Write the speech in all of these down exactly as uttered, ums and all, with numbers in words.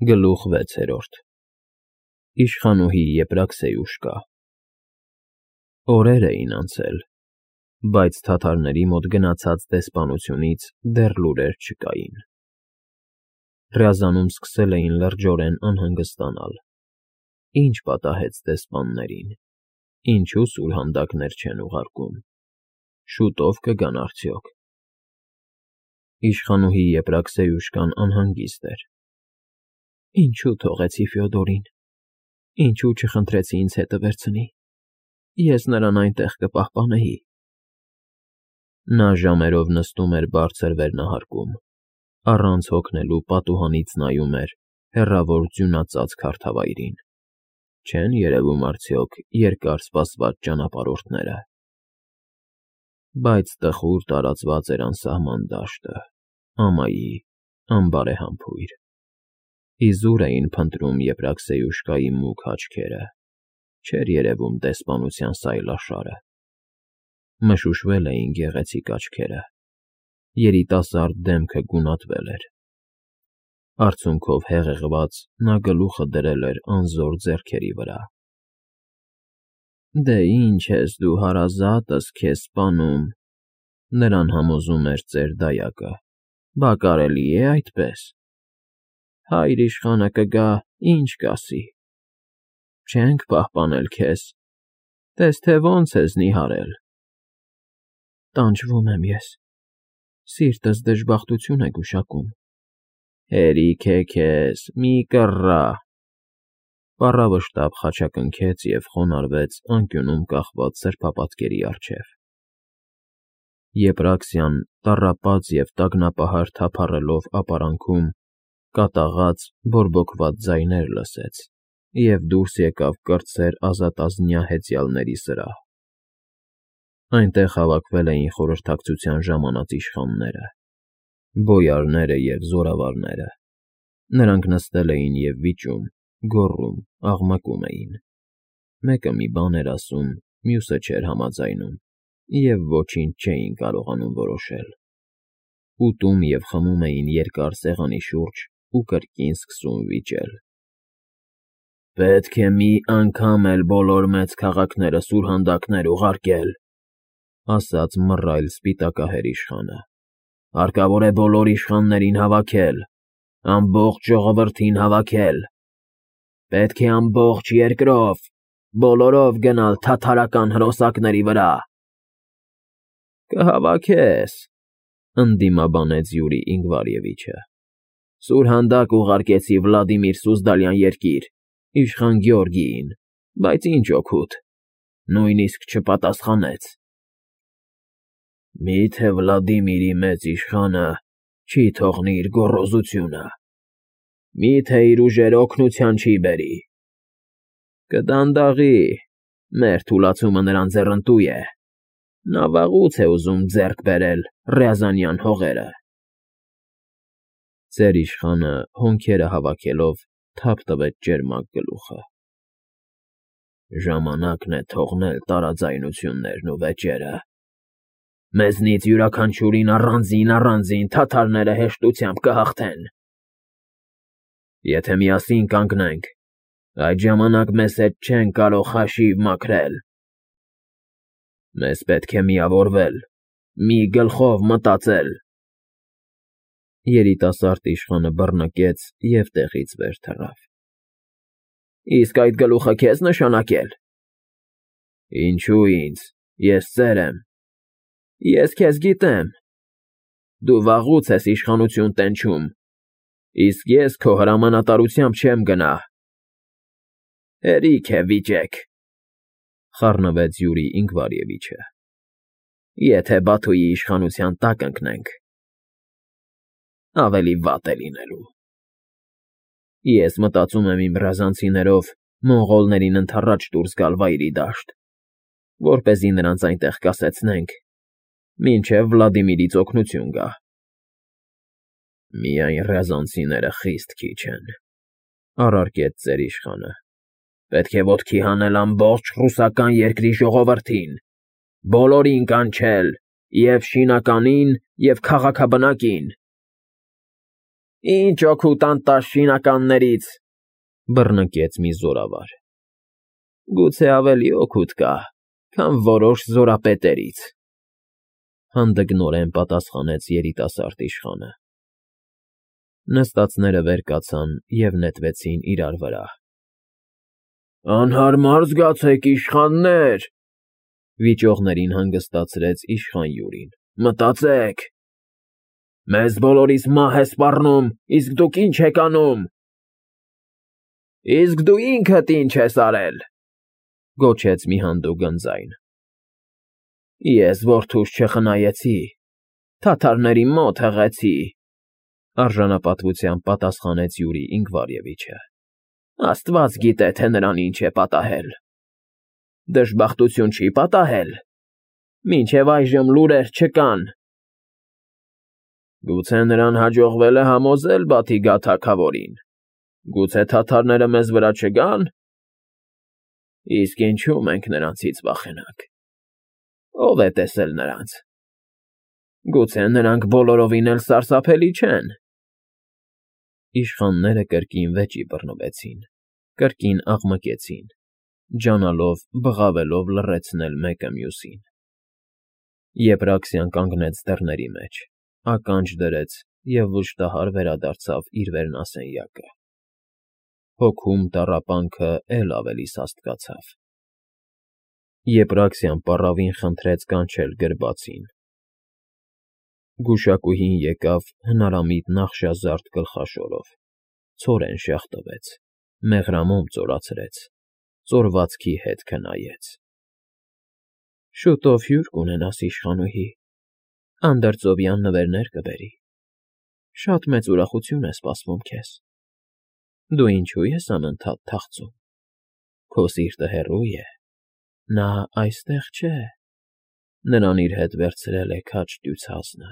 Գլուխ վեցերորդ Իշխանուհի Եպրաքսեյուշկա Օրեր էին անցել, բայց թաթարների մոտ գնացած դեսպանությունից դեռ լուրեր չկային. Ռյազանում սկսել էին լրջորեն անհանգստանալ. ինչ պատահեց դեսպաններին, ինչու սուրհանդակներ չեն ուղարկում, շուտո՞վ կգան արդյոք: Իշխանուհի Եպրաքսեյուշկան անհանգիստ էր. Ինչո՞ւ թողեցի Ֆյոդորին, ինչո՞ւ չխնդրեցի ինձ հետը վերցնի, ես նրան այնտեղ կպահպանեի: Նա ժամերով նստում էր բարձր վերնահարկում, առանց հոգնելու պատուհանից նայում էր հեռավոր ձյունածածկ հարթավայրին, չեն երևում արդյոք երկար սպասված ճանապարհորդները: Բայց տխուր տարածված էր անսահման դաշտը, ամայի, անբարեհամբույր: Իզուր էին փնտրում Եպրաքսեյուշկայի մուգ աչքերը, չէր երևում դեսպանության սայլաշարը: Մշուշվել էին գեղեցիկ աչքերը, երիտասարդ դեմքը գունատվել էր: Արցունքով հեղեղված նա գլուխը դրել էր անզոր ձեռքերի վրա: Դե ինչ ես դու հարազատս քեզ սպանում, նրան համոզում էր ծեր դայակը, բա կարելի է այդպես: Հայր իշխանը կգա, ինչ կասի: Չենք պահպանել քեզ, տես թե ոնց ես նիհարել: Տանջվում եմ ես, սիրտս դժբախտություն է գուշակում: Հերիք է քեզ, մի կռա: Պառավը շտապ խաչակնքեց և խոնարհվեց անկյունում կախված սրբապատկերի առջև: Եպրաքսիան տառապած և տագնապահար թափառելով ապարանքում, կատաղած, բորբոքված ձայներ լսեց և դուրս եկավ կրտսեր ազատազնյա հեծյալների սրահ: Այնտեղ հավաքվել էին խորհրդակցության ժամանած իշխանները, բոյարները և զորավարները: Նրանք նստել էին և վիճում, գոռում, աղմկում էին: Մեկը մի բան էր ասում, մյուսը չէր համաձայնում և ոչինչ չէին կարողանում որոշել: Ուտում և խմում էին երկար սեղանի շուրջ ու կրկին սկսում վիճել: Պետք է մի անգամ էլ բոլոր մեծ քաղաքները սուրհանդակներ ուղարկել, ասաց մռայլ սպիտակահեր իշխանը: Հարկավոր է բոլոր իշխաններին հավաքել, ամբողջ ժողովրդին հավաքել: Պետք է ամբողջ երկրով, բոլորով գնալ թաթարական հրոսակների վրա: Կհավաքես, ընդդիմաբանեց Յուրի Ինգվարևիչը: Սուրհանդակ ուղարկեցի Վլադիմիր Սուզդալյան երկիր, իշխան Գյորգիին, բայց ինչ օգուտ, նույնիսկ չպատասխանեց: Մի՞թե Վլադիմիրի մեծ իշխանը չի թողնի իր գոռոզությունը, մի՞թե իր ուժերը օգնության չի բերի: Կդանդաղի, մեր թուլացումը նրան ձեռնտու է, նա վաղուց է ուզում ձեռք բերել Ռյազանյան հողերը: Ծեր իշխանը հոնքերը հավաքելով թափ տվեց ճերմակ գլուխը: Ժամանակն է թողնել տարաձայնություններն ու վեճերը: Մեզնից յուրաքանչյուրին առանձին֊առանձին թաթարները հեշտությամբ կհաղթեն: Եթե միասին կանգնենք, այդ ժամանակ մեզ հետ չեն կարող խաշիվ մաքրել: Մեզ պետք է միավորվել, մի գլխով մտածել: Երիտասարդ իշխանը բռնկեց և տեղից վեր թռավ: Իսկ այդ գլուխը քե՞զ նշանակել: Ինչո՞ւ ինձ, ես ծեր եմ: Ես քեզ գիտեմ: Դու վաղուց ես իշխանություն տենչում, իսկ ես քո հրամանատարությամբ չեմ գնա: Հերիք է վիճեք, խառնվեց Յուրի Ինգվարևիչը: Եթե Բաթուի իշխանության տակ ընկնենք, ավելի վատ է լինելու: Ես մտածում եմ իմ ռազանցիներով մոնղոլներին ընդառաջ դուրս գալ Վայրի դաշտ, որպեսզի նրանց այնտեղ կասեցնենք, մինչև Վլադիմիրից օգնություն գա: Միայն ռյազանցիները խիստ քիչ են, առարկեց ծեր իշխանը: Պետք է ոտքի հանել ամբողջ ռուսական երկրի ժողովրդին, բոլորին կանչել, և՛ շինականին, և՛ քաղաքաբնակին: Ինչ օգուտ անտաշ շինականներից, բռնկեց մի զորավար։ Գուցե ավելի օգուտ կա, քան որոշ զորապետերից, հանդգնորեն պատասխանեց երիտասարդ իշխանը։ Նստածները վեր կացան և նետվեցին իրար վրա։ Անհարմար զգացեք, իշխաններ, վիճողներին հանգստացրեց իշխան Յուրին, մտածեք, մեզ բոլորիս մահ է սպառնում, իսկ դուք ինչ եք անում։ Իսկ դու ինքդ ինչ ես արել, գոչեց մի հանդուգն ձայն։ Ես որդուս չխնայեցի, թաթարների մոտ հղեցի, արժանապատվությամբ պատասխանեց Յուրի Ինգվարևիչը։ Աստված գիտե, թե նրան ինչ է պատահել։ Դժբախտություն չի պատահել, մինչև այժմ լուրեր չկան։ Գուցե նրան հաջողվել է համոզել Բաթիգա թագավորին, գուցե թաթարները մեզ վրա չգան։ Իսկ ինչու մենք նրանցից վախենանք։ Ո՞վ է տեսել նրանց։ Գուցե նրանք բոլորովին էլ սարսափելի չեն։ Իշխանները կրկին վեճի բռնվեցին, կրկին աղմկեցին, ջանալով, բղավելով լռեցնել մեկը մյուսին։ Եփրաքսիան կանգնեց դռների մեջ, ականջ դրեց և վշտահար վերադարձավ իր վերնասենյակը։ Հոգում տառապանքը էլ ավելի սաստկացավ։ Եփրաքսիան պառավին խնդրեց կանչել գրբացին։ Գուշակուհին եկավ հնարամիտ նախշազարդ գլխաշորով, ցորեն շաղ տվեց, մեղրամոմ ծորացրեց, ծորվածքի հետքը նայեց։ Շուտով հյուր կունենաս, իշխանուհի, անդրծովյան նվերներ կբերի։ Շատ մեծ ուրախություն է սպասվում քեզ։ Դու ինչու ես անընդհատ թախծում։ Քո սիրտը հեռու է, նա այստեղ չէ, նրան իր հետ վերցրել է քաջ տյուցազնը։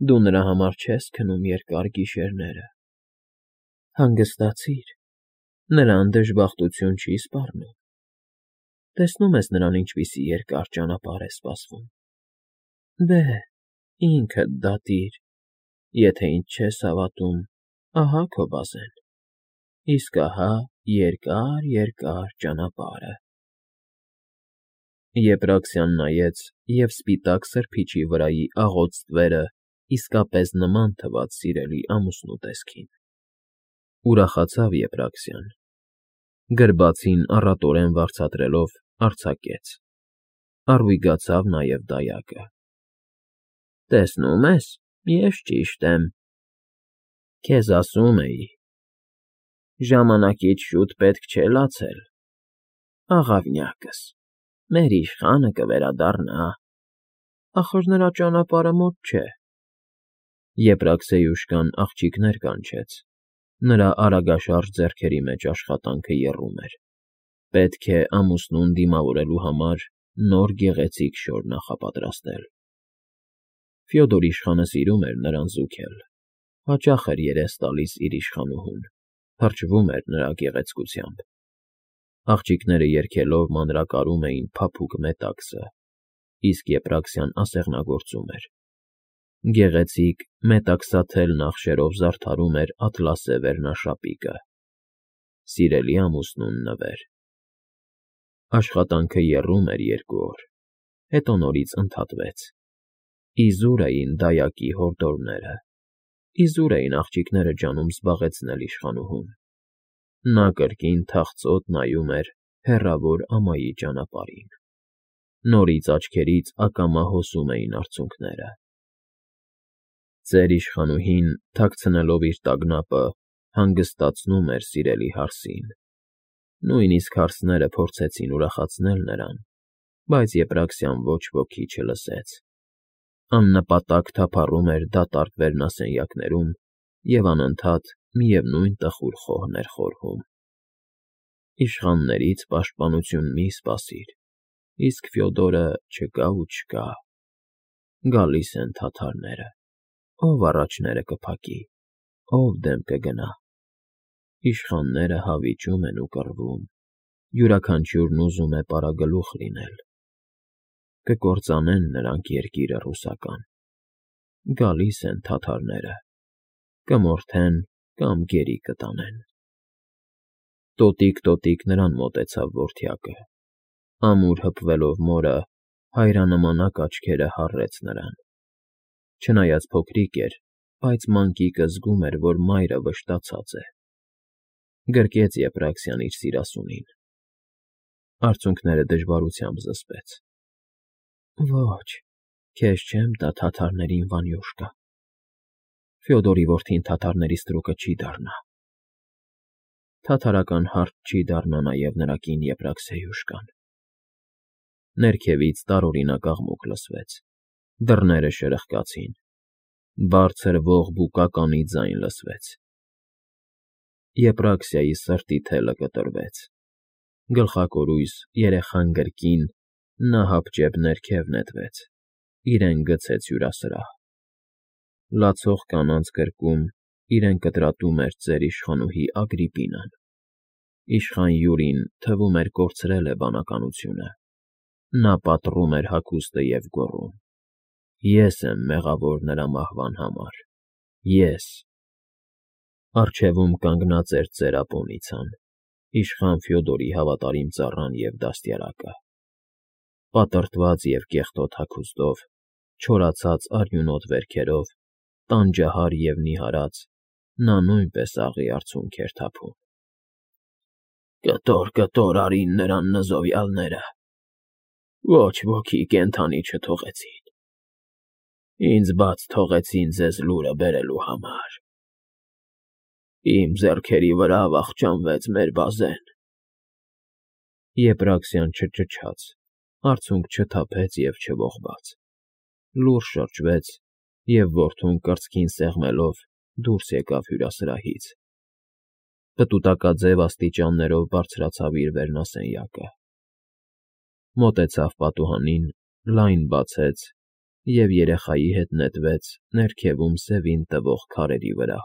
Դու նրա համար չես քնում երկար գիշերները։ Հանգստացիր, նրան դժբախտություն չի սպառնում։ Տեսնում ես նրան ինչպիսի երկար ճանապարհ է սպասվում։ Դե, ինքդ դատիր, եթե ինձ չես հավատում, ահա քո բազեն, իսկ ահա երկար֊երկար ճանապարհը։ Եփրաքսիան նայեց և սպիտակ սրբիչի վրայի աղոտ ստվերը իսկապես նման թվաց սիրելի ամուսնու տեսքին։ Ուրախացավ Եփրաքսիան։ Գրբացին առատորեն վարձատրելով արձակեց։ Առուйգացավ նաև դայակը։ Տեսնում ես, ես ճիշտ եմ։ Քեզ ասում էի։ Ժամանակից շուտ պետք չէ լացել։ Աղավնյակս, մեր իշխանը կվերադառնա։ Ախր նրա ճանապարհը մոտ չէ։ Եփրաքսեյուշկան աղջիկներ կանչեց։ Նրա արագաշարժ ձեռքերի մեջ աշխատանքը եռում էր։ Պետք է ամուսնուն դիմավորելու համար նոր գեղեցիկ շոր նախապատրաստել։ Ֆյոդոր իշխանը սիրում էր նրան զուգել, հաճախ էր երես տալիս իր իշխանուհուն, թրջվում էր նրա գեղեցկությամբ։ Աղջիկները երգելով մանրակարում էին փափուկ մետաքսը, իսկ Եփրաքսիան ասեղնագործում էր։ Գեղեցիկ մետաքսաթել նախշերով զարդարում էր ատլասե վերնաշապիկը։ Սիրելի ամուսնուն նվեր։ Աշխատանքը եռում էր երկու օր, հետո նորից ընդհատվեց։ Իզուր էին դայակի հորդորները, իզուր էին աղջիկները ջանում զբաղեցնել իշխանուհուն։ Նա կրկին թախծոտ նայում էր հեռավոր ամայի ճանապարհին։ Նորից աչքերից ակամա հոսում էին արցունքները։ Ծեր իշխանուհին, թաքցնելով իր տագնապը, հանգստացնում էր սիրելի հարսին։ Նույնիսկ հարսները փորձեցին ուրախացնել նրան, բայց Եփրաքսիան ոչ ոքի չլսեց։ Աննպատակ թափառում էր դատարկ վերնասենյակներում և անընդհատ միևնույն տխուր խոհն էր խորհում. Իշխաններից պաշտպանություն մի սպասիր, իսկ Ֆյոդորը չկա ու չկա։ Գալիս են թաթարները, ով առաջները կփակի, ով դեմ կգնա։ Իշխանները հավիճում են ու կռվում, յուրաքանչյուրն ուզում է պարագլուխ լինել։ Կկործանեն նրանք երկիրը ռուսական։ Գալիս են թաթարները, կմորթեն կամ գերի կտանեն։ Տոտիկ֊տոտիկ նրան մոտեցավ որդյակը, ամուր հպվելով մորը, հայրանմանակ աչքերը հառեց նրան. չնայած փոքրիկ էր, բայց մանկիկը զգում էր, որ մայրը վշտացած է։ Գրկեց Եփրաքսիան իր սիրասունին։ Արցունքները դժվարությամբ զսպեց։ Ոչ, քեզ չեմ տա թաթարներին, Վանյուշկա։ Ֆյոդորի որդին թաթարների ստրուկը չի դառնա։ Թաթարական հարց չի դառնա նաև նրա կին Եփրաքսեյուշկան։ Ներքևից տարօրինակ աղմուկ լսվեց, դռները շրխկացին, բարձր ողբուկականի ձայն լսվեց։ Եփրաքսիայի սրտի թելը կտրվեց, գլխակորույս երեխան գրկին նա հապճեպ ներքև նետվեց, իրեն գցեց հյուրասրահ։ Լացող կանանց կրկում իրեն կտրատում էր ծեր իշխանուհի Ագրիպինան։ Իշխան Յուրին, թվում էր, կորցրել է բանականությունը։ Նա պատռում էր հագուստը և գոռում. Ես եմ մեղավոր նրա մահվան համար, ես… Առջևում կանգնած էր ծերապոնիցան, իշխան Ֆյոդորի հավատարիմ ծառան և դաստիարակը։ Պատրտված և կեղտոտ հագուստով, չորացած արյունոտ վերքերով, տանջահար և նիհարած, նա նույնպես աղի արցունք էր թափում։ Կտոր֊կտոր արին նրան նզովյալները, ոչ ոքի կենդանի չթողեցին, ինձ բաց թողեցին ձեզ լուրը բերելու համար։ Իմ ձեռքերի վրա վախճանվեց մեր բազեն… Եփրաքսիան չճչաց, արցունք չթափեց և չողբաց, լուռ շրջվեց և որդուն կրծքին սեղմելով դուրս եկավ հյուրասրահից, պտուտակաձև աստիճաններով բարձրացավ իր վերնասենյակը, մոտեցավ պատուհանին, լայն բացեց և երեխայի հետ նետվեց ներքևում սևին տվող քարերի վրա։